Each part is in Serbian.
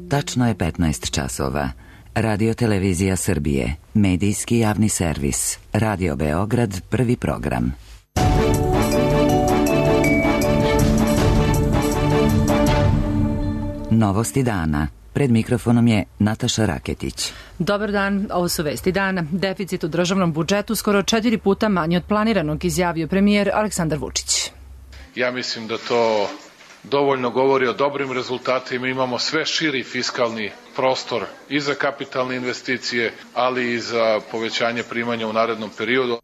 Tačno je 15 časova. Radio Televizija Srbije, medijski javni servis, Radio Beograd, prvi program. Novosti dana. Pred mikrofonom je Nataša Raketić. Dobar dan, ovo su vesti dana. Deficit u državnom budžetu skoro 4 puta manji od planiranog, izjavio premijer Aleksandar Vučić. Ja mislim da to dovoljno govori o dobrim rezultatima. Imamo sve širi fiskalni prostor i za kapitalne investicije, ali i za povećanje primanja u narednom periodu.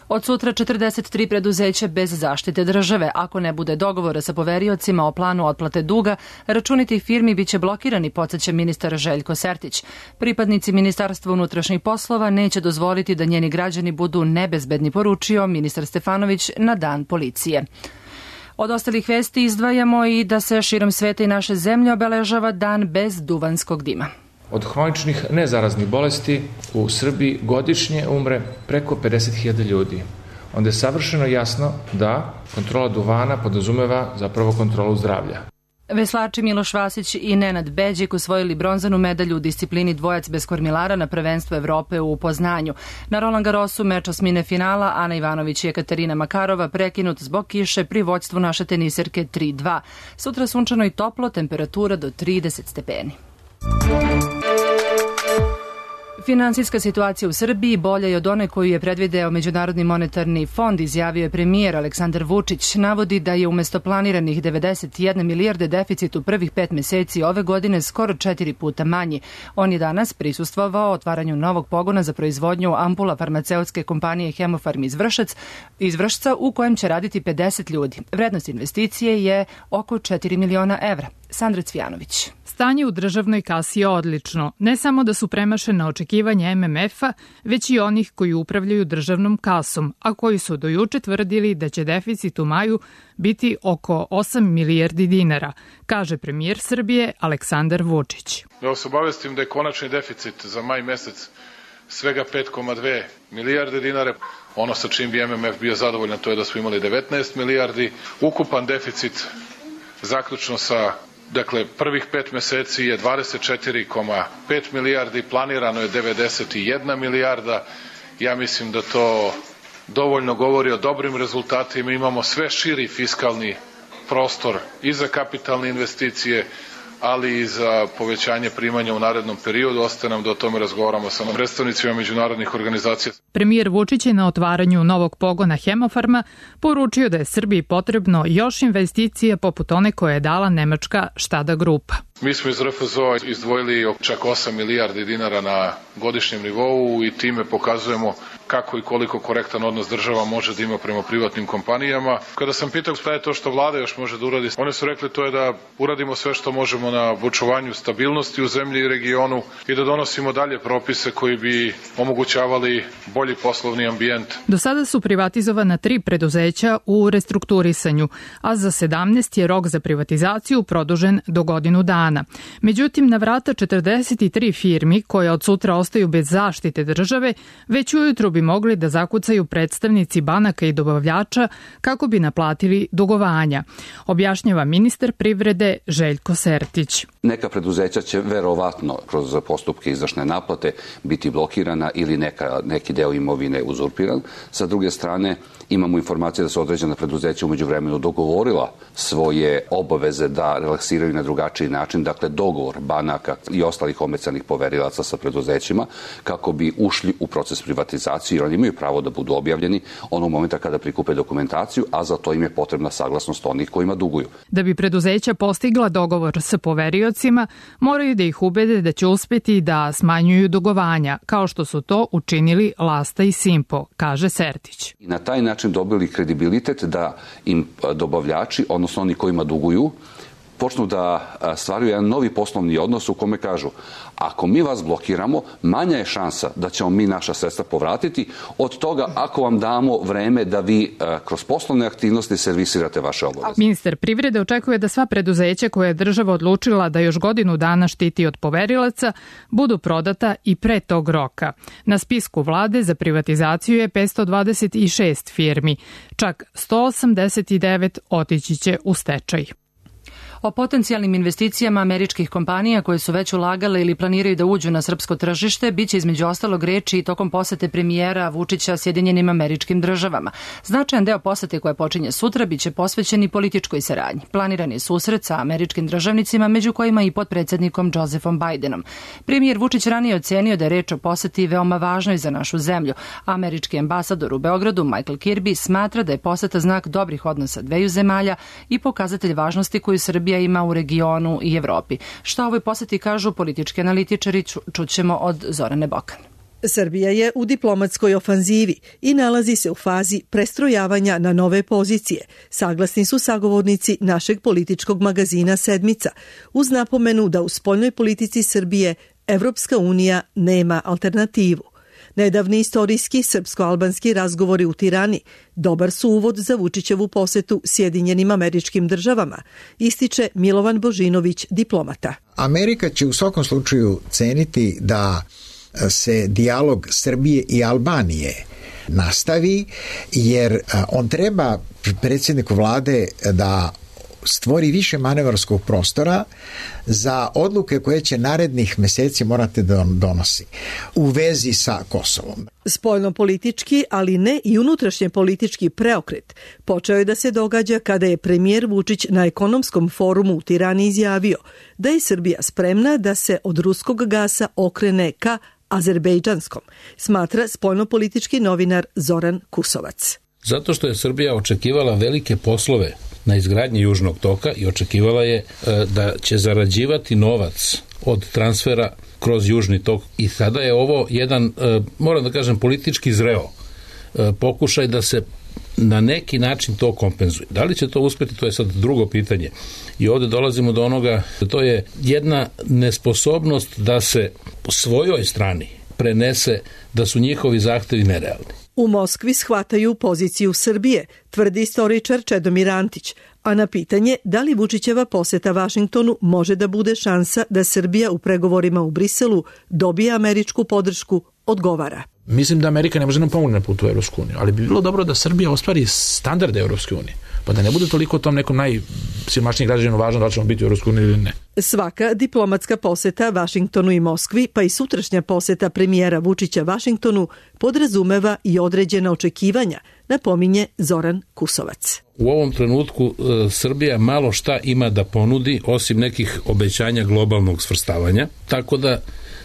Od sutra 43 preduzeća bez zaštite države. Ako ne bude dogovora sa poveriocima o planu otplate duga, računi tih firmi biće blokirani, podsjeća ministar Željko Sertić. Pripadnici Ministarstva unutrašnjih poslova neće dozvoliti da njeni građani budu nebezbedni, poručio ministar Stefanović na Dan policije. Od ostalih vesti izdvajamo i da se širom sveta i naše zemlje obeležava dan bez duvanskog dima. Od hroničnih nezaraznih bolesti u Srbiji godišnje umre preko 50.000 ljudi. Onda je savršeno jasno da kontrola duvana podrazumeva zapravo kontrolu zdravlja. Veslači Miloš Vasić i Nenad Beđik osvojili bronzanu medalju u disciplini dvojac bez kormilara na prvenstvu Evrope u Poznanju. Na Roland Garrosu meč osmine finala Ana Ivanović i Ekaterina Makarova prekinut zbog kiše pri vođstvu naše teniserke 3-2. Sutra sunčano i toplo, temperatura do 30 stepeni. Finansijska situacija u Srbiji bolja je od one koju je predvideo Međunarodni monetarni fond, izjavio je premijer Aleksandar Vučić. Navodi da je umesto planiranih 91 milijarde deficit u prvih 5 meseci ove godine skoro 4 puta manji. On je danas prisustvovao otvaranju novog pogona za proizvodnju ampula farmaceutske kompanije Hemofarm iz Vršca u kojem će raditi 50 ljudi. Vrednost investicije je oko 4 miliona evra. Sandra Cvijanović. Stanje u državnoj kasi je odlično. Ne samo da su premašena očekivanja MMF-a, već i onih koji upravljaju državnom kasom, a koji su do juče tvrdili da će deficit u maju biti oko 8 milijardi dinara, kaže premijer Srbije Aleksandar Vučić. Da vas obavestim da je konačni deficit za maj mesec svega 5,2 milijarde dinara. Ono sa čim bi MMF bio zadovoljan, to je da smo imali 19 milijardi. Ukupan deficit zaključno sa prvih 5 meseci je 24,5 milijardi, planirano je 91 milijarda. Ja mislim da to dovoljno govori o dobrim rezultatima. Imamo sve širi fiskalni prostor i za kapitalne investicije, ali i za povećanje primanja u narednom periodu. Ostaje nam da o tome razgovaramo sa predstavnicima međunarodnih organizacija. Premijer Vučić je na otvaranju novog pogona Hemofarma poručio da je Srbiji potrebno još investicija poput one koje je dala nemačka Štada grupa. Mi smo iz RFZO izdvojili čak 8 milijardi dinara na godišnjem nivou i time pokazujemo kako i koliko korektan odnos država može da ima prema privatnim kompanijama. Kada sam pitao šta je to što vlada još može da uradi, oni su rekli to je da uradimo sve što možemo na očuvanju stabilnosti u zemlji i regionu i da donosimo dalje propise koji bi omogućavali bolji poslovni ambijent. Do sada su privatizovana 3 preduzeća u restrukturisanju, a za 17 je rok za privatizaciju produžen do godinu dana. Međutim, na vrata 43 firmi koje od sutra ostaju bez zaštite države, već ujutru bi mogli da zakucaju predstavnici banaka i dobavljača kako bi naplatili dugovanja, objašnjava ministar privrede Željko Sertić. Neka preduzeća će verovatno kroz postupke izvršne naplate biti blokirana ili neki deo imovine uzurpiran. Sa druge strane, imamo informacije da su određena preduzeća umeđu vremenu dogovorila svoje obaveze da relaksiraju na drugačiji način, dakle dogovor banaka i ostalih omecanih poverilaca sa preduzećima kako bi ušli u proces privatizacije, jer oni imaju pravo da budu objavljeni onog momenta kada prikupe dokumentaciju, a za to im je potrebna saglasnost onih kojima duguju. Da bi preduzeća postigla dogovor sa poveriocima, moraju da ih ubede da će uspeti da smanjuju dugovanja, kao što su to učinili Lasta i Simpo, kaže Sertić. I na taj način dobili kredibilitet da im dobavljači, odnosno oni kojima duguju, počnu da stvaraju jedan novi poslovni odnos u kome kažu ako mi vas blokiramo, manja je šansa da ćemo mi naša sredstva povratiti od toga ako vam damo vreme da vi kroz poslovne aktivnosti servisirate vaše obaveze. Ministar privrede očekuje da sva preduzeća koje je država odlučila da još godinu dana štiti od poverilaca budu prodata i pre tog roka. Na spisku vlade za privatizaciju je 526 firmi, čak 189 otići će u stečaj. O potencijalnim investicijama američkih kompanija koje su već ulagale ili planiraju da uđu na srpsko tržište biće između ostalog reči i tokom posete premijera Vučića Sjedinjenim Američkim Državama. Značajan deo posete koja počinje sutra biće posvećen i političkoj saradnji. Planiran je susret sa američkim državnicima, među kojima i potpredsednikom Josephom Bidenom. Premijer Vučić ranije ocenio da je reč o poseti veoma važnoj za našu zemlju. Američki ambasador u Beogradu Michael Kirby smatra da je poseta znak dobrih odnosa dveju zemalja i pokazatelj važnosti koju Srbija ima u regionu i Evropi. Šta o ovoj poseti kažu politički analitičari, čućemo od Zorane Bokan. Srbija je u diplomatskoj ofanzivi i nalazi se u fazi prestrojavanja na nove pozicije, saglasni su sagovornici našeg političkog magazina Sedmica, uz napomenu da u spoljnoj politici Srbije Evropska unija nema alternativu. Nedavni istorijski srpsko-albanski razgovori u Tirani dobar su uvod za Vučićevu posetu Sjedinjenim Američkim Državama, ističe Milovan Božinović, diplomata. Amerika će u svakom slučaju ceniti da se dijalog Srbije i Albanije nastavi, jer on treba predsjedniku vlade da stvori više manevarskog prostora za odluke koje će narednih meseci morati da donosi u vezi sa Kosovom. Spoljno-politički, ali ne i unutrašnje politički preokret počeo je da se događa kada je premijer Vučić na ekonomskom forumu u Tirani izjavio da je Srbija spremna da se od ruskog gasa okrene ka azerbejdžanskom, smatra spoljno-politički novinar Zoran Kusovac. Zato što je Srbija očekivala velike poslove na izgradnji Južnog toka i očekivala je da će zarađivati novac od transfera kroz Južni tok i sada je ovo jedan, moram da kažem, politički zreo pokušaj da se na neki način to kompenzuje. Da li će to uspjeti, to je sad drugo pitanje. I ovdje dolazimo do onoga, to je jedna nesposobnost da se po svojoj strani prenese da su njihovi zahtevi nerealni. U Moskvi shvataju poziciju Srbije, tvrdi istoričar Čedomir Antić, a na pitanje da li Vučićeva poseta Vašingtonu može da bude šansa da Srbija u pregovorima u Briselu dobije američku podršku, odgovara. Mislim da Amerika ne može nam pomoći na putu u Evropsku uniju, ali bi bilo dobro da Srbija ostvari standarde Evropske unije, pa da ne bude toliko tom nekom najsiromašnijim građanima važno da ćemo biti u Evropskoj uniji ili ne. Svaka diplomatska poseta Vašingtonu i Moskvi, pa i sutrašnja poseta premijera Vučića Vašingtonu, podrazumeva i određena očekivanja, napominje Zoran Kusovac. U ovom trenutku Srbija malo šta ima da ponudi osim nekih obećanja globalnog svrstavanja, tako da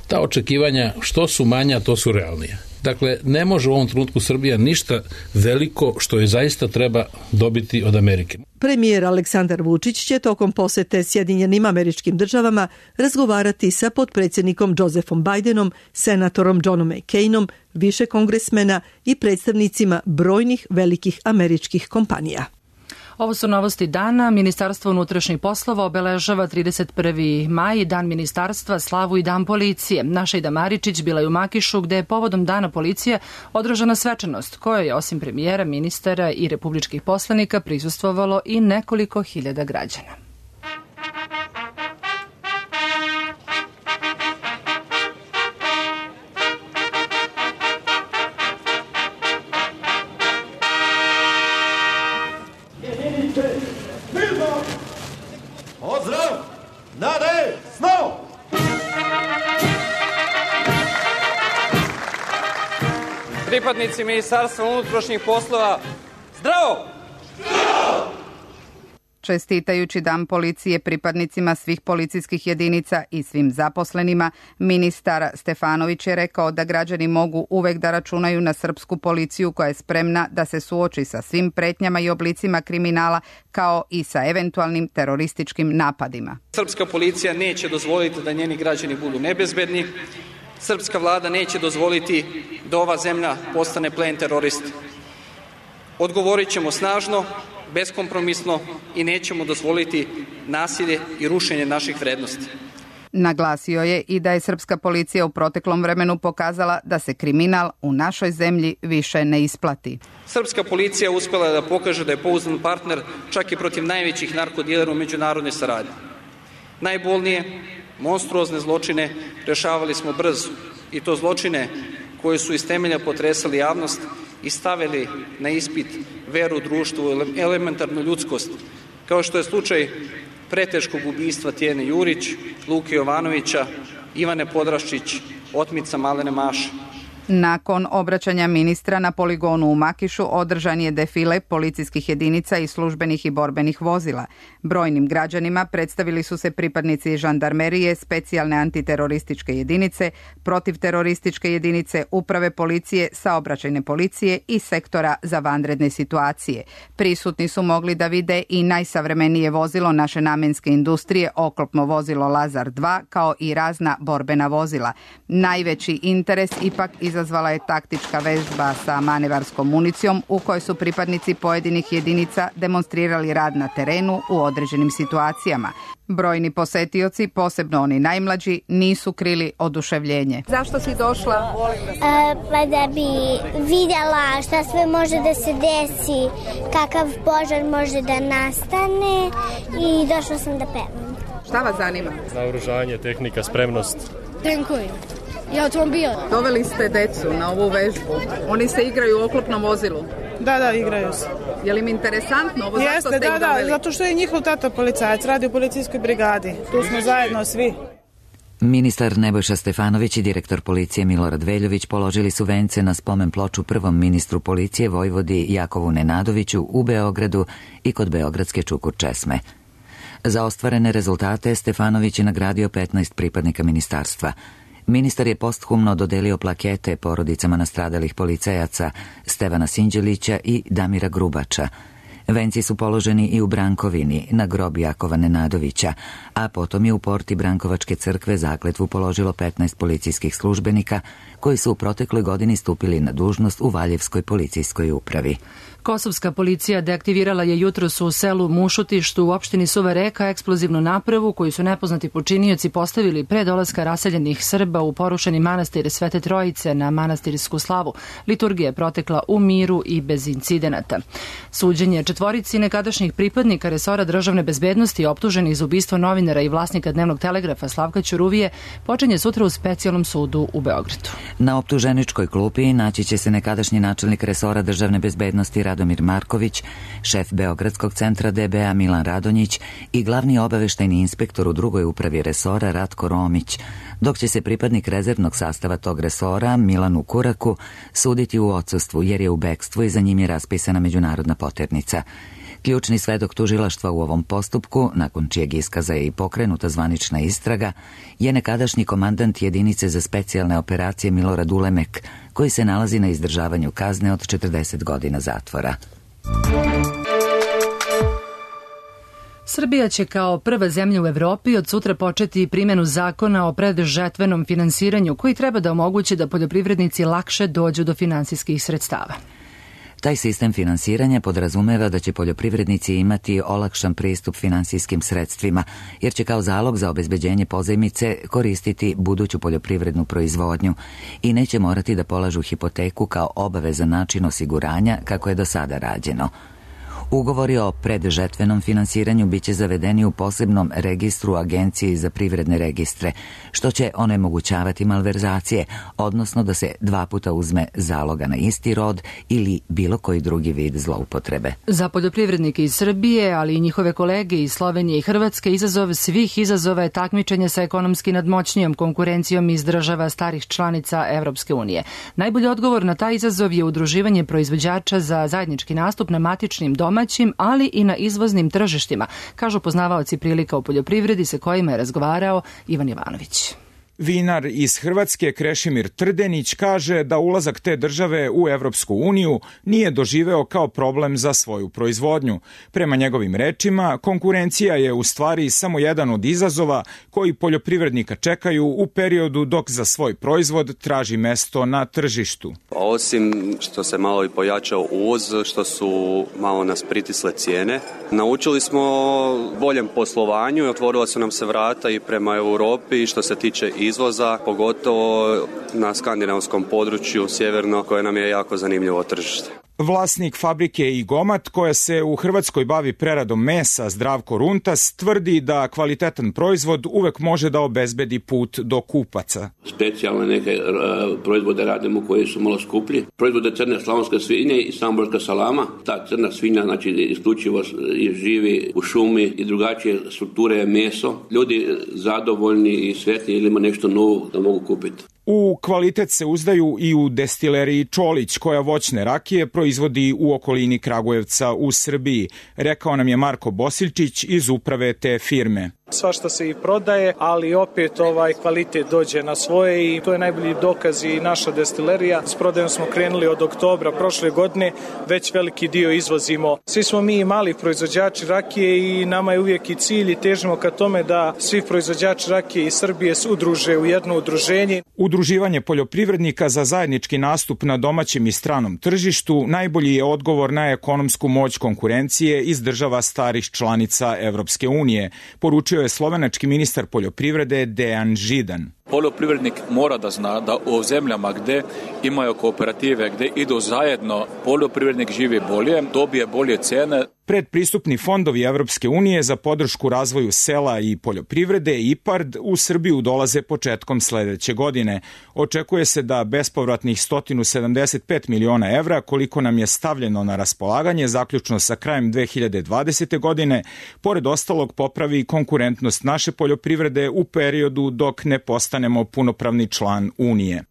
ta očekivanja što su manja, to su realnija. Dakle, ne može u ovom trenutku Srbija ništa veliko što je zaista treba dobiti od Amerike. Premijer Aleksandar Vučić će tokom posete Sjedinjenim Američkim Državama razgovarati sa potpredsjednikom Josephom Bidenom, senatorom Johnom McCainom, više kongresmena i predstavnicima brojnih velikih američkih kompanija. Ovo su novosti dana. Ministarstvo unutrašnjih poslova obeležava 31. maj, dan ministarstva, slavu i dan policije. Naša Ida Maričić bila je u Makišu, gde je povodom dana policije održana svečanost, kojoj je osim premijera, ministara i republičkih poslanika prisustvovalo i nekoliko hiljada građana. Pozdrav! Nade! Snov! Pripadnici Ministarstva unutrašnjih poslova, zdravo! Čestitajući dan policije pripadnicima svih policijskih jedinica i svim zaposlenima, ministar Stefanović je rekao da građani mogu uvek da računaju na srpsku policiju koja je spremna da se suoči sa svim pretnjama i oblicima kriminala kao i sa eventualnim terorističkim napadima. Srpska policija neće dozvoliti da njeni građani budu nebezbedni. Srpska vlada neće dozvoliti da ova zemlja postane plen terorista. Odgovorit ćemo snažno, beskompromisno i nećemo dozvoliti nasilje i rušenje naših vrednosti. Naglasio je i da je srpska policija u proteklom vremenu pokazala da se kriminal u našoj zemlji više ne isplati. Srpska policija uspela da pokaže da je pouzdan partner čak i protiv najvećih narkodilera u međunarodnoj saradnji. Najbolnije, monstruozne zločine rešavali smo brzo i to zločine koje su iz temelja potresali javnost i stavili na ispit veru u društvu, elementarnu ljudskost, kao što je slučaj preteškog ubistva Tijene Jurić, Luke Jovanovića, Ivane Podraščić, otmica Malene Maše. Nakon obraćanja ministra na poligonu u Makišu održan je defile policijskih jedinica i službenih i borbenih vozila. Brojnim građanima predstavili su se pripadnici žandarmerije, specijalne antiterorističke jedinice, protivterorističke jedinice, uprave policije, saobraćajne policije i sektora za vanredne situacije. Prisutni su mogli da vide i najsavremenije vozilo naše namenske industrije, oklopno vozilo Lazar 2, kao i razna borbena vozila. Najveći interes ipak izazvala je taktička vežba sa manevarskom municijom u kojoj su pripadnici pojedinih jedinica demonstrirali rad na terenu u određenim situacijama. Brojni posetioci, posebno oni najmlađi, nisu krili oduševljenje. Zašto si došla? Pa da bi vidjela šta sve može da se desi, kakav požar može da nastane i došla sam da pevam. Šta vas zanima? Naoružanje, tehnika, spremnost. Tenkovi. I automobil. Doveli ste decu na ovu vežbu. Oni se igraju u oklopnom vozilu. Da, igraju se. Je li im interesantno ovo? Jeste, zašto ste ih doveli? Zato što je njihov tata policajac, radi u policijskoj brigadi. Tu smo zajedno svi. Ministar Nebojša Stefanović i direktor policije Milorad Veljović položili su vence na spomen ploču prvom ministru policije Vojvodi Jakovu Nenadoviću u Beogradu i kod beogradske Čukur česme. Za ostvarene rezultate Stefanović je nagradio 15 pripadnika ministarstva. Ministar je posthumno dodelio plakete porodicama nastradalih policajaca Stevana Sinđelića i Damira Grubača. Venci su položeni i u Brankovini na grob Jakova Nenadovića, a potom je u porti Brankovačke crkve zakletvu položilo 15 policijskih službenika koji su u protekloj godini stupili na dužnost u Valjevskoj policijskoj upravi. Kosovska policija deaktivirala je jutros u selu Mušutištu u opštini Suva Reka eksplozivnu napravu koju su nepoznati počinioci postavili pre dolaska raseljenih Srba u porušeni manastir Svete Trojice na manastirsku slavu. Liturgija je protekla u miru i bez incidenata. Suđenje četvorici nekadašnjih pripadnika resora državne bezbednosti optuženih za ubistvo novinara i vlasnika Dnevnog telegrafa Slavka Ćuruvije počinje sutra u specijalnom sudu u Beogradu. Na optuženičkoj klupi naći će se nekadašnji načelnik resora državne bezbednosti Radomir Marković, šef Beogradskog centra DBA Milan Radonjić i glavni obaveštajni inspektor u drugoj upravi resora Ratko Romić, dok će se pripadnik rezervnog sastava tog resora Milanu Kuraku suditi u odsustvu jer je u bekstvu i za njim je raspisana međunarodna poternica. Ključni svedok tužilaštva u ovom postupku, nakon čijeg iskaza je i pokrenuta zvanična istraga, je nekadašnji komandant jedinice za specijalne operacije Milorad Ulemek, koji se nalazi na izdržavanju kazne od 40 godina zatvora. Srbija će kao prva zemlja u Evropi od sutra početi primjenu zakona o predžetvenom finansiranju koji treba da omogući da poljoprivrednici lakše dođu do finansijskih sredstava. Taj sistem finansiranja podrazumeva da će poljoprivrednici imati olakšan pristup finansijskim sredstvima, jer će kao zalog za obezbeđenje pozajmice koristiti buduću poljoprivrednu proizvodnju i neće morati da polažu hipoteku kao obavezan način osiguranja kako je do sada rađeno. Ugovori o predžetvenom finansiranju biće zavedeni u posebnom registru Agencije za privredne registre, što će onemogućavati malverzacije, odnosno da se 2 puta uzme zaloga na isti rod ili bilo koji drugi vid zloupotrebe. Za poljoprivrednike iz Srbije, ali i njihove kolege iz Slovenije i Hrvatske, izazov svih izazova je takmičenje sa ekonomski nadmoćnijom konkurencijom iz država starih članica Evropske unije. Najbolji odgovor na taj izazov je udruživanje proizvođača za zajednički nastup na matičnim domaćim, ali i na izvoznim tržištima, kažu poznavaoci prilika u poljoprivredi sa kojima je razgovarao Ivan Jovanović. Vinar iz Hrvatske Krešimir Trdenić kaže da ulazak te države u Evropsku uniju nije doživeo kao problem za svoju proizvodnju. Prema njegovim rečima, konkurencija je u stvari samo jedan od izazova koji poljoprivrednika čekaju u periodu dok za svoj proizvod traži mesto na tržištu. Osim što se malo i pojačao uvoz, što su malo nas pritisle cijene, naučili smo boljem poslovanju i otvorila su nam se vrata i prema Europi što se tiče izvoza, pogotovo na skandinavskom području sjeverno, koje nam je jako zanimljivo tržište. Vlasnik fabrike Igomat, koja se u Hrvatskoj bavi preradom mesa, Zdravko Runtas, tvrdi da kvalitetan proizvod uvek može da obezbedi put do kupaca. Specijalne neke proizvode radimo koji su malo skuplji. Proizvode crne slavonske svinje i samborska salama. Ta crna svinja, znači isključivo živi u šumi i drugačije strukture je meso. Ljudi zadovoljni i sretni ili ima nešto novo da mogu kupiti. U kvalitet se uzdaju i u destileriji Čolić, koja voćne rakije proizvodi u okolini Kragujevca u Srbiji, rekao nam je Marko Bosiljčić iz uprave te firme. Svašta se i prodaje, ali opet kvalitet dođe na svoje i to je najbolji dokaz i naša destilerija. S prodajom smo krenuli od oktobra prošle godine, već veliki dio izvozimo. Svi smo mi mali proizvođači rakije i nama je uvijek i cilj i težimo ka tome da svi proizvođači rakije iz Srbije se udruže u jedno udruženje. Udruživanje poljoprivrednika za zajednički nastup na domaćem i stranom tržištu najbolji je odgovor na ekonomsku moć konkurencije iz država starih članica Evropske unije, poručio je slovenački ministar poljoprivrede Dejan Židan. Poljoprivrednik mora da zna da u zemljama gde imaju kooperative, gde idu zajedno, poljoprivrednik živi bolje, dobije bolje cene. Predpristupni fondovi Evropske unije za podršku razvoju sela i poljoprivrede IPARD u Srbiju dolaze početkom sledeće godine. Očekuje se da bespovratnih 175 miliona evra, koliko nam je stavljeno na raspolaganje zaključno sa krajem 2020. godine, pored ostalog popravi konkurentnost naše poljoprivrede u periodu dok ne postanemo punopravni član Unije.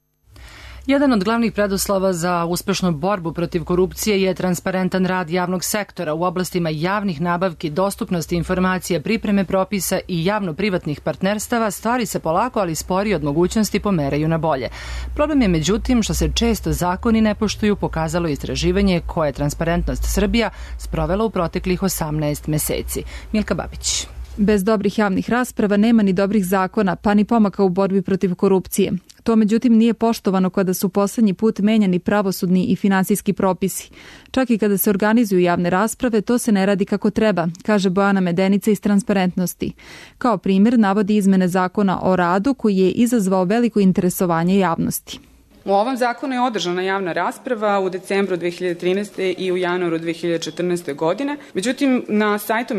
Jedan od glavnih preduslova za uspešnu borbu protiv korupcije je transparentan rad javnog sektora u oblastima javnih nabavki, dostupnosti informacija, pripreme propisa i javno-privatnih partnerstava. Stvari se polako, ali sporije od mogućnosti pomeraju na bolje. Problem je međutim što se često zakoni ne poštuju, pokazalo istraživanje koje je Transparentnost Srbija sprovela u proteklih 18 meseci. Milka Babić. Bez dobrih javnih rasprava nema ni dobrih zakona, pa ni pomaka u borbi protiv korupcije. To međutim nije poštovano kada su poslednji put menjani pravosudni i finansijski propisi. Čak i kada se organizuju javne rasprave, to se ne radi kako treba, kaže Bojana Medenica iz Transparentnosti. Kao primjer navodi izmene zakona o radu koji je izazvao veliko interesovanje javnosti. U ovom zakonu je održana javna rasprava u decembru 2013. i u januaru 2014. godine. Međutim, na sajtu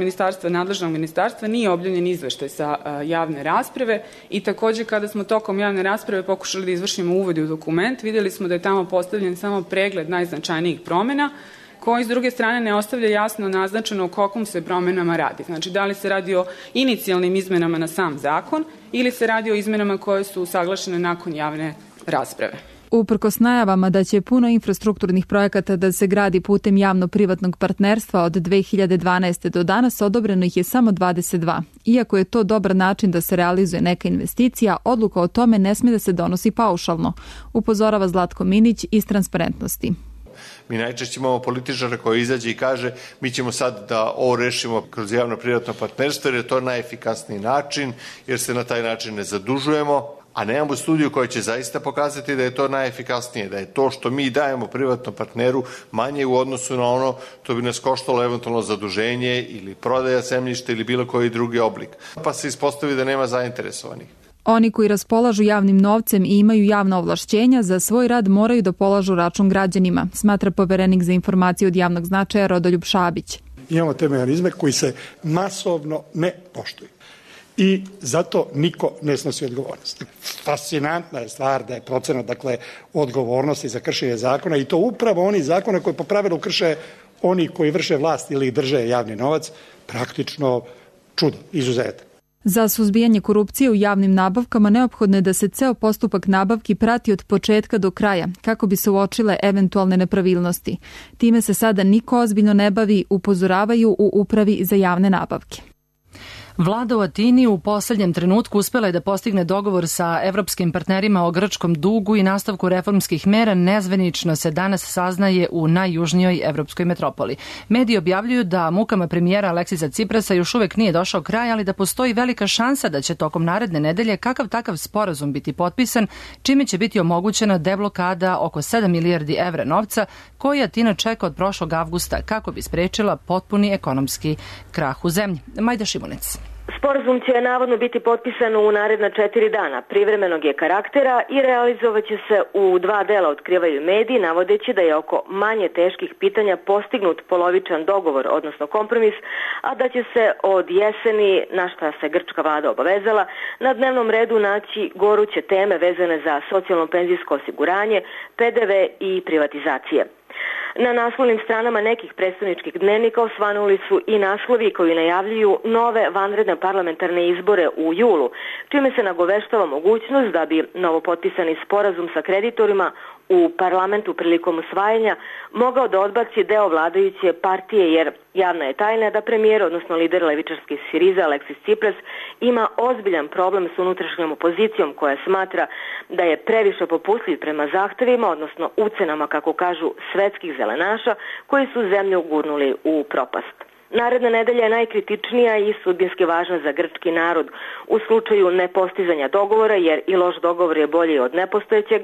nadležnog ministarstva nije objavljen izveštaj sa javne rasprave i takođe kada smo tokom javne rasprave pokušali da izvršimo uvod u dokument, videli smo da je tamo postavljen samo pregled najznačajnijih promena, koji s druge strane ne ostavlja jasno naznačeno o kakvom se promenama radi. Znači, da li se radi o inicijalnim izmenama na sam zakon ili se radi o izmenama koje su usaglašene nakon javne rasprave. Uprkos najavama da će puno infrastrukturnih projekata da se gradi putem javno-privatnog partnerstva od 2012. do danas, odobreno ih je samo 22. Iako je to dobar način da se realizuje neka investicija, odluka o tome ne smije da se donosi paušalno, upozorava Zlatko Minić iz Transparentnosti. Mi najčešće imamo političara koji izađe i kaže mi ćemo sad da ovo rešimo kroz javno-privatno partnerstvo jer je to najefikasniji način, jer se na taj način ne zadužujemo, a nemamo studiju koja će zaista pokazati da je to najefikasnije, da je to što mi dajemo privatnom partneru manje u odnosu na ono to bi nas koštalo eventualno zaduženje ili prodaja zemljišta ili bilo koji drugi oblik. Pa se ispostavi da nema zainteresovanih. Oni koji raspolažu javnim novcem i imaju javna ovlašćenja za svoj rad moraju da polažu račun građanima, smatra poverenik za informacije od javnog značaja Rodoljub Šabić. Imamo te mehanizme koji se masovno ne poštuju. I zato niko ne snosi odgovornost. Fascinantna je stvar da je procenat, odgovornosti za kršenje zakona i to upravo oni zakona koji po pravilu krše oni koji vrše vlast ili drže javni novac, praktično čudo, izuzetak. Za suzbijanje korupcije u javnim nabavkama neophodno je da se ceo postupak nabavki prati od početka do kraja, kako bi se uočile eventualne nepravilnosti. Time se sada niko ozbiljno ne bavi, upozoravaju u Upravi za javne nabavke. Vlada u Atini u poslednjem trenutku uspela je da postigne dogovor sa evropskim partnerima o grčkom dugu i nastavku reformskih mera. Nezvanično se danas saznaje u najjužnijoj evropskoj metropoli. Mediji objavljuju da mukama premijera Aleksisa Ciprasa još uvek nije došao kraj, ali da postoji velika šansa da će tokom naredne nedelje kakav takav sporazum biti potpisan, čime će biti omogućena deblokada oko 7 milijardi evra novca koji Atina čeka od prošlog avgusta kako bi sprečila potpuni ekonomski krah u zemlji. Majda Šimunec. Sporazum će navodno biti potpisan u naredna 4 dana. Privremenog je karaktera i realizovaće se u 2 dela, otkrivaju mediji, navodeći da je oko manje teških pitanja postignut polovičan dogovor, odnosno kompromis, a da će se od jeseni, na šta se grčka vlada obavezala, na dnevnom redu naći goruće teme vezane za socijalno-penzijsko osiguranje, PDV i privatizacije. Na naslovnim stranama nekih predstavničkih dnevnika osvanuli su i naslovi koji najavljuju nove vanredne parlamentarne izbore u julu, čime se nagoveštava mogućnost da bi novopotpisani sporazum sa kreditorima u parlamentu prilikom usvajanja mogao da odbaci deo vladajuće partije, jer javna je tajna da premijer, odnosno lider levičarske Sirize Aleksis Cipras, ima ozbiljan problem s unutrašnjom opozicijom koja smatra da je previše popustljiv prema zahtevima, odnosno ucenama, kako kažu, svetskih zelenaša koji su zemlju gurnuli u propast. Naredna nedelja je najkritičnija i sudbinski važna za grčki narod u slučaju nepostizanja dogovora, jer i loš dogovor je bolji od nepostojećeg.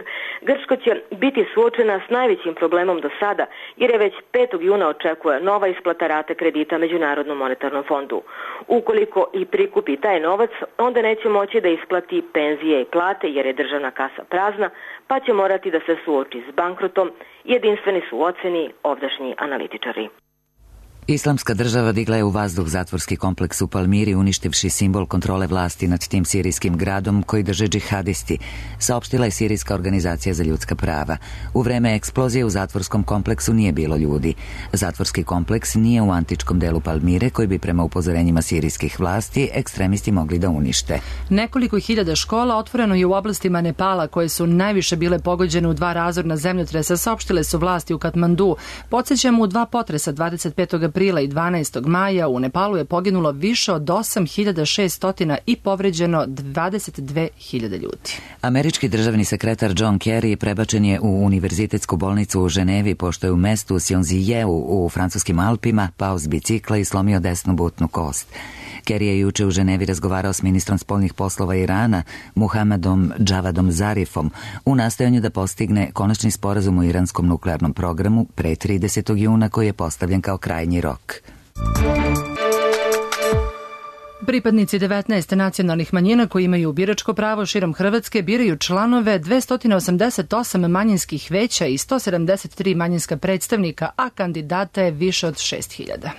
Grčka će biti suočena s najvećim problemom do sada, jer je već 5. juna očekuje nova isplata rate kredita Međunarodnom monetarnom fondu. Ukoliko i prikupi taj novac, onda neće moći da isplati penzije i plate, jer je državna kasa prazna, pa će morati da se suoči s bankrotom. Jedinstveni su u oceni ovdašnji analitičari. Islamska država digla je u vazduh zatvorski kompleks u Palmiri, uništivši simbol kontrole vlasti nad tim sirijskim gradom koji drže džihadisti, saopštila je Sirijska organizacija za ljudska prava. U vreme eksplozije u zatvorskom kompleksu nije bilo ljudi. Zatvorski kompleks nije u antičkom delu Palmire, koji bi prema upozorenjima sirijskih vlasti ekstremisti mogli da unište. Nekoliko hiljada škola otvoreno je u oblastima Nepala, koje su najviše bile pogođene u 2 razorna zemljotresa, saopštile su vlasti u Katmandu. Podsjećamo, u 2 potresa 25. aprila i 12. maja u Nepalu je poginulo više od 8.600 i povređeno 22.000 ljudi. Američki državni sekretar John Kerry prebačen je u univerzitetsku bolnicu u Ženevi, pošto je u mestu Sionzijeu u francuskim Alpima pao s bicikla i slomio desnu butnu kost. Kerry je juče u Ženevi razgovarao s ministrom spoljnih poslova Irana, Muhammadom Javadom Zarifom, u nastojanju da postigne konačni sporazum o iranskom nuklearnom programu pre 30. juna, koji je postavljen kao krajnji rok. Pripadnici 19 nacionalnih manjina koji imaju biračko pravo širom Hrvatske biraju članove 288 manjinskih veća i 173 manjinska predstavnika, a kandidata je više od 6.000.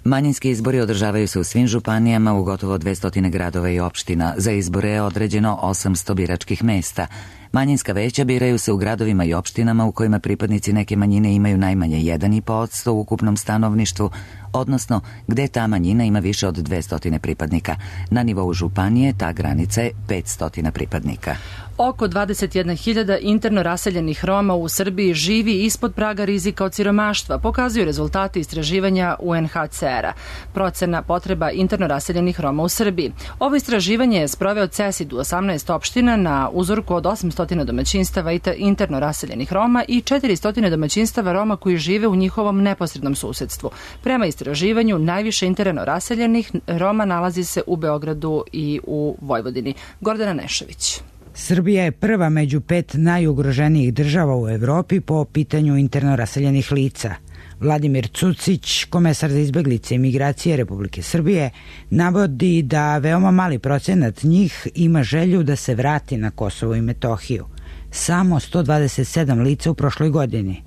Manjinski izbori održavaju se u svim županijama u gotovo 200 gradova i opština. Za izbore je određeno 800 biračkih mesta. Manjinska veća biraju se u gradovima i opštinama u kojima pripadnici neke manjine imaju najmanje 1,5% u ukupnom stanovništvu, odnosno gde ta manjina ima više od 200 pripadnika. Na nivou županije ta granica je 500 pripadnika. Oko 21.000 interno raseljenih Roma u Srbiji živi ispod praga rizika od siromaštva, pokazuju rezultati istraživanja UNHCR-a. Procena potreba interno raseljenih Roma u Srbiji. Ovo istraživanje je sproveo CESID u 18 opština na uzorku od 800 domaćinstava interno raseljenih Roma i 400 domaćinstava Roma koji žive u njihovom neposrednom susedstvu. Prema istraživanju, najviše interno raseljenih Roma nalazi se u Beogradu i u Vojvodini. Gordana Nešović. Srbija je prva među 5 najugroženijih država u Evropi po pitanju interno raseljenih lica. Vladimir Cucić, komesar za izbeglice i migracije Republike Srbije, navodi da veoma mali procenat njih ima želju da se vrati na Kosovo i Metohiju. Samo 127 lica u prošloj godini.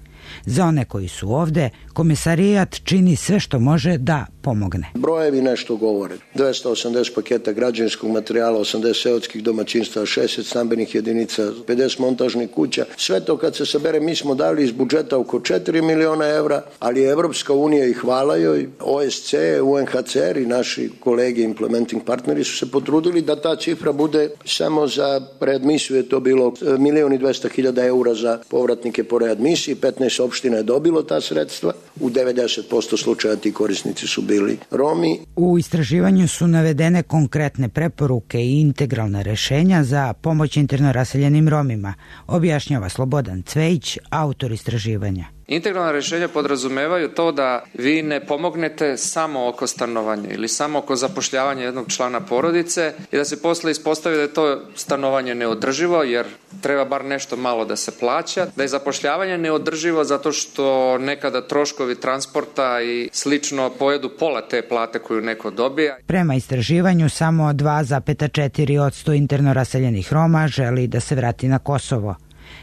Za one koji su ovde, komesarijat čini sve što može da pomogne. Brojevi nešto govore. 280 paketa građevinskog materijala, 80 seoskih domaćinstva, 60 stambenih jedinica, 50 montažnih kuća. Sve to kad se sabere, mi smo dali iz budžeta oko 4 miliona evra, ali Evropska unija, i hvala joj, OSC, UNHCR i naši kolege implementing partneri su se potrudili da ta cifra bude samo za readmisiju, je to bilo 1.200.000 eura za povratnike po readmisiji, 15 opština je dobilo ta sredstva, u 90% slučaja ti korisnici su bili Romi. U istraživanju su navedene konkretne preporuke i integralna rešenja za pomoć interno raseljenim Romima, objašnjava Slobodan Cvejić, autor istraživanja. Integralna rješenja podrazumevaju to da vi ne pomognete samo oko stanovanja ili samo oko zapošljavanja jednog člana porodice i da se posle ispostavi da je to stanovanje neodrživo jer treba bar nešto malo da se plaća, da je zapošljavanje neodrživo zato što nekada troškovi transporta i slično pojedu pola te plate koju neko dobija. Prema istraživanju samo 2,4% interno raseljenih Roma želi da se vrati na Kosovo.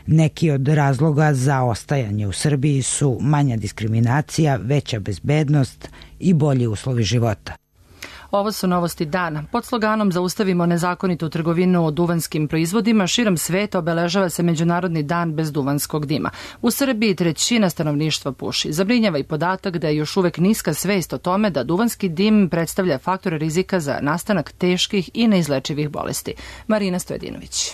Neki od razloga za ostajanje u Srbiji su manja diskriminacija, veća bezbednost i bolji uslovi života. Ovo su novosti dana. Pod sloganom Zaustavimo nezakonitu trgovinu duvanskim proizvodima širom sveta obeležava se Međunarodni dan bez duvanskog dima. U Srbiji 1/3 stanovništva puši. Zabrinjava i podatak da je još uvek niska svest o tome da duvanski dim predstavlja faktor rizika za nastanak teških i neizlečivih bolesti. Marina Stojedinović.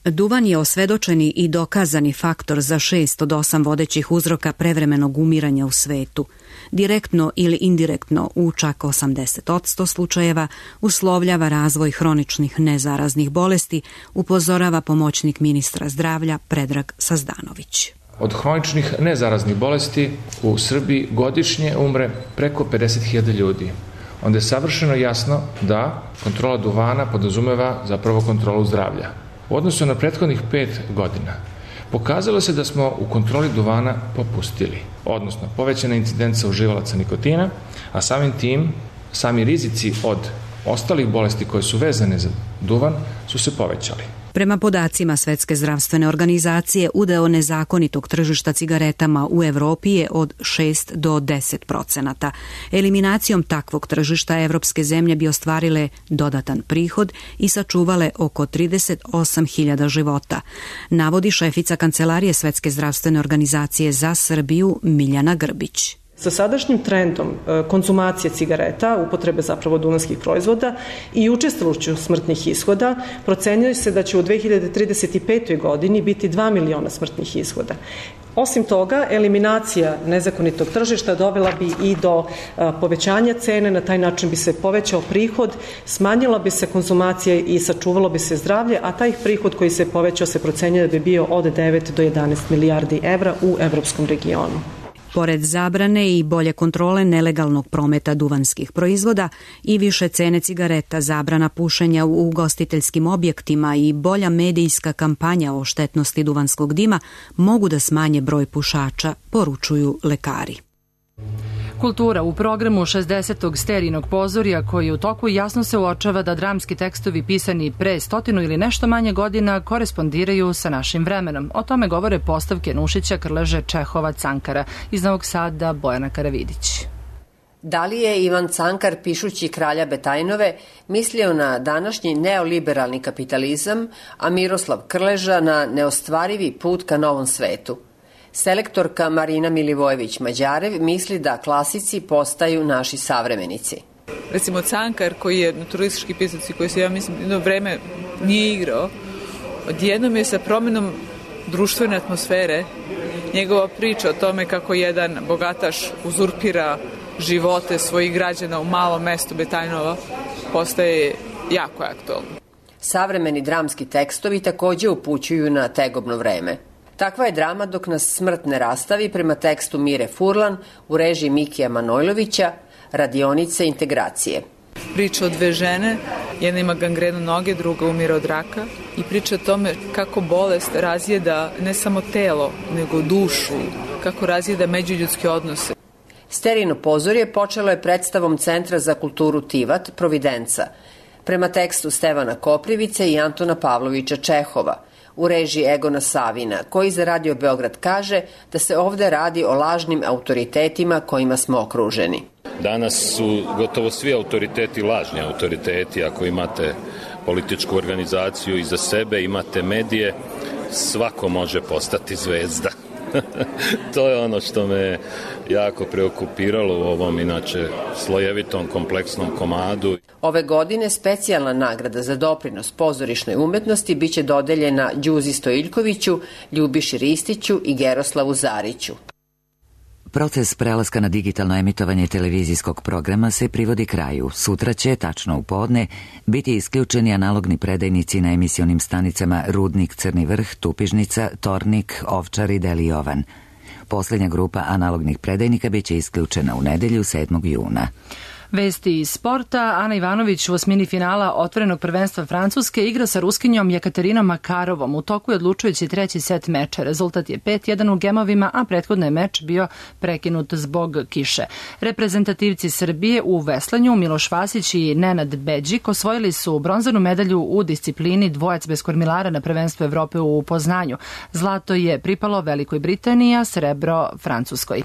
Duvan je osvedočeni i dokazani faktor za 6 od 8 vodećih uzroka prevremenog umiranja u svetu. Direktno ili indirektno u čak 80% slučajeva uslovljava razvoj hroničnih nezaraznih bolesti, upozorava pomoćnik ministra zdravlja Predrag Sazdanović. Od hroničnih nezaraznih bolesti u Srbiji godišnje umre preko 50.000 ljudi. Onda je savršeno jasno da kontrola duvana podrazumeva zapravo kontrolu zdravlja. U odnosu na prethodnih 5 godina pokazalo se da smo u kontroli duvana popustili, odnosno povećana incidenca uživalaca nikotina, a samim tim sami rizici od ostalih bolesti koje su vezane za duvan su se povećali. Prema podacima Svetske zdravstvene organizacije, udeo nezakonitog tržišta cigaretama u Evropi je od 6 do 10%. Eliminacijom takvog tržišta evropske zemlje bi ostvarile dodatan prihod i sačuvale oko 38.000 života, navodi šefica Kancelarije Svetske zdravstvene organizacije za Srbiju Miljana Grbić. Sa sadašnjim trendom konzumacije cigareta, upotrebe zapravo duvanskih proizvoda i učestalošću smrtnih ishoda, procenjuje se da će u 2035. godini biti 2 miliona smrtnih ishoda. Osim toga, eliminacija nezakonitog tržišta dovela bi i do povećanja cene, na taj način bi se povećao prihod, smanjila bi se konzumacija i sačuvalo bi se zdravlje, a taj prihod koji se povećao se procenjuje da bi bio od 9 do 11 milijardi evra u evropskom regionu. Pored zabrane i bolje kontrole nelegalnog prometa duvanskih proizvoda i više cene cigareta, zabrana pušenja u ugostiteljskim objektima i bolja medijska kampanja o štetnosti duvanskog dima mogu da smanje broj pušača, poručuju lekari. Kultura u programu 60. Sterijinog pozorja koji u toku jasno se uočava da dramski tekstovi pisani pre 100 ili nešto manje godina korespondiraju sa našim vremenom. O tome govore postavke Nušića, Krleže, Čehova, Cankara. Iz Novog Sada Bojana Karavidić. Da li je Ivan Cankar, pišući Kralja Betajnove, mislio na današnji neoliberalni kapitalizam, a Miroslav Krleža na neostvarivi put ka novom svetu? Selektorka Marina Milivojević-Mađarev misli da klasici postaju naši savremenici. Recimo Cankar, koji je naturalistički pisac i koji se, ja mislim, jedno vreme nije igrao, odjednom je sa promenom društvene atmosfere njegova priča o tome kako jedan bogataš uzurpira živote svojih građana u malom mestu Betajnova postaje jako aktualno. Savremeni dramski tekstovi takođe upućuju na tegobno vreme. Takva je drama dok nas smrt ne rastavi prema tekstu Mire Furlan u režiji Mikija Manojlovića, Radionice integracije. Priča o dve žene, jedna ima gangrenu noge, druga umire od raka i priča o tome kako bolest razjeda ne samo telo, nego dušu, kako razjeda međuljudske odnose. Sterijino pozorje počelo je predstavom Centra za kulturu Tivat, Providenca, prema tekstu Stevana Koprivice i Antona Pavlovića Čehova, u režiji Egona Savina, koji za Radio Beograd kaže da se ovde radi o lažnim autoritetima kojima smo okruženi. Danas su gotovo svi autoriteti lažni autoriteti. Ako imate političku organizaciju iza sebe, imate medije, svako može postati zvezda. To je ono što me jako preokupiralo u ovom inače slojevitom kompleksnom komadu. Ove godine specijalna nagrada za doprinos pozorišnoj umetnosti biće dodeljena Đuzi Stojiljkoviću, Ljubiši Ristiću i Geroslavu Zariću. Proces prelaska na digitalno emitovanje televizijskog programa se privodi kraju. Sutra će, tačno u podne, biti isključeni analogni predajnici na emisionim stanicama Rudnik, Crni vrh, Tupižnica, Tornik, Ovčar i Deli Jovan. Posljednja grupa analognih predajnika biće isključena u nedelju 7. juna. Vesti iz sporta. Ana Ivanović u osmini finala otvorenog prvenstva Francuske igra sa Ruskinjom Jekaterinom Makarovom. U toku je odlučujući treći set meča. Rezultat je 5-1 u gemovima, a prethodno je meč bio prekinut zbog kiše. Reprezentativci Srbije u veslanju Miloš Vasić i Nenad Beđik osvojili su bronzanu medalju u disciplini dvojac bez kormilara na prvenstvu Evrope u Poznanju. Zlato je pripalo Velikoj Britaniji, a srebro Francuskoj.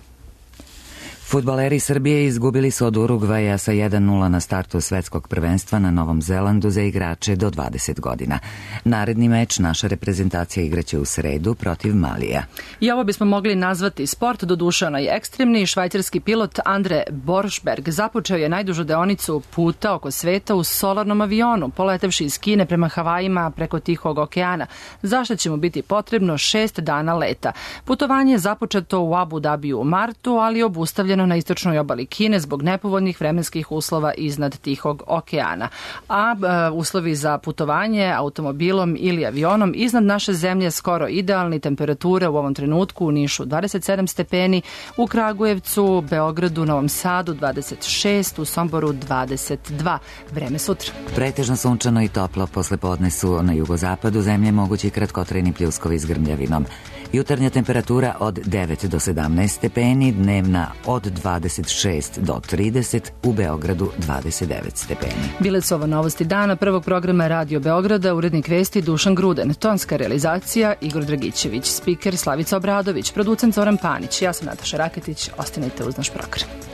Fudbaleri Srbije izgubili su od Urugvaja sa 1-0 na startu svetskog prvenstva na Novom Zelandu za igrače do 20 godina. Naredni meč naša reprezentacija igraće u sredu protiv Malija. I ovo bismo mogli nazvati sport, doduše onaj ekstremni. Švajcarski pilot Andre Boršberg započeo je najdužu deonicu puta oko sveta u solarnom avionu, poletevši iz Kine prema Havajima preko Tihog okeana, zašto će mu biti potrebno 6 dana leta. Putovanje je započeto u Abu Dabiju u martu, ali obustavljeno na istočnoj obali Kine zbog nepovoljnih vremenskih uslova iznad Tihog okeana. A uslovi za putovanje automobilom ili avionom iznad naše zemlje skoro idealni. Temperature u ovom trenutku u Nišu 27 stepeni, u Kragujevcu, Beogradu, Novom Sadu 26, u Somboru 22. Vreme sutra. Pretežno sunčano i toplo, posle podne su na jugozapadu zemlje mogući kratkotrajni pljuskovi s grmljavinom. Jutarnja temperatura od 9 do 17 stepeni, dnevna od 26 do 30, u Beogradu 29 stepeni. Bile su ovo novosti dana prvog programa Radio Beograda, urednik vesti Dušan Gruden, tonska realizacija Igor Dragićević, spiker Slavica Obradović, producent Zoran Panić, ja sam Nataša Raketić, ostanite uz naš program.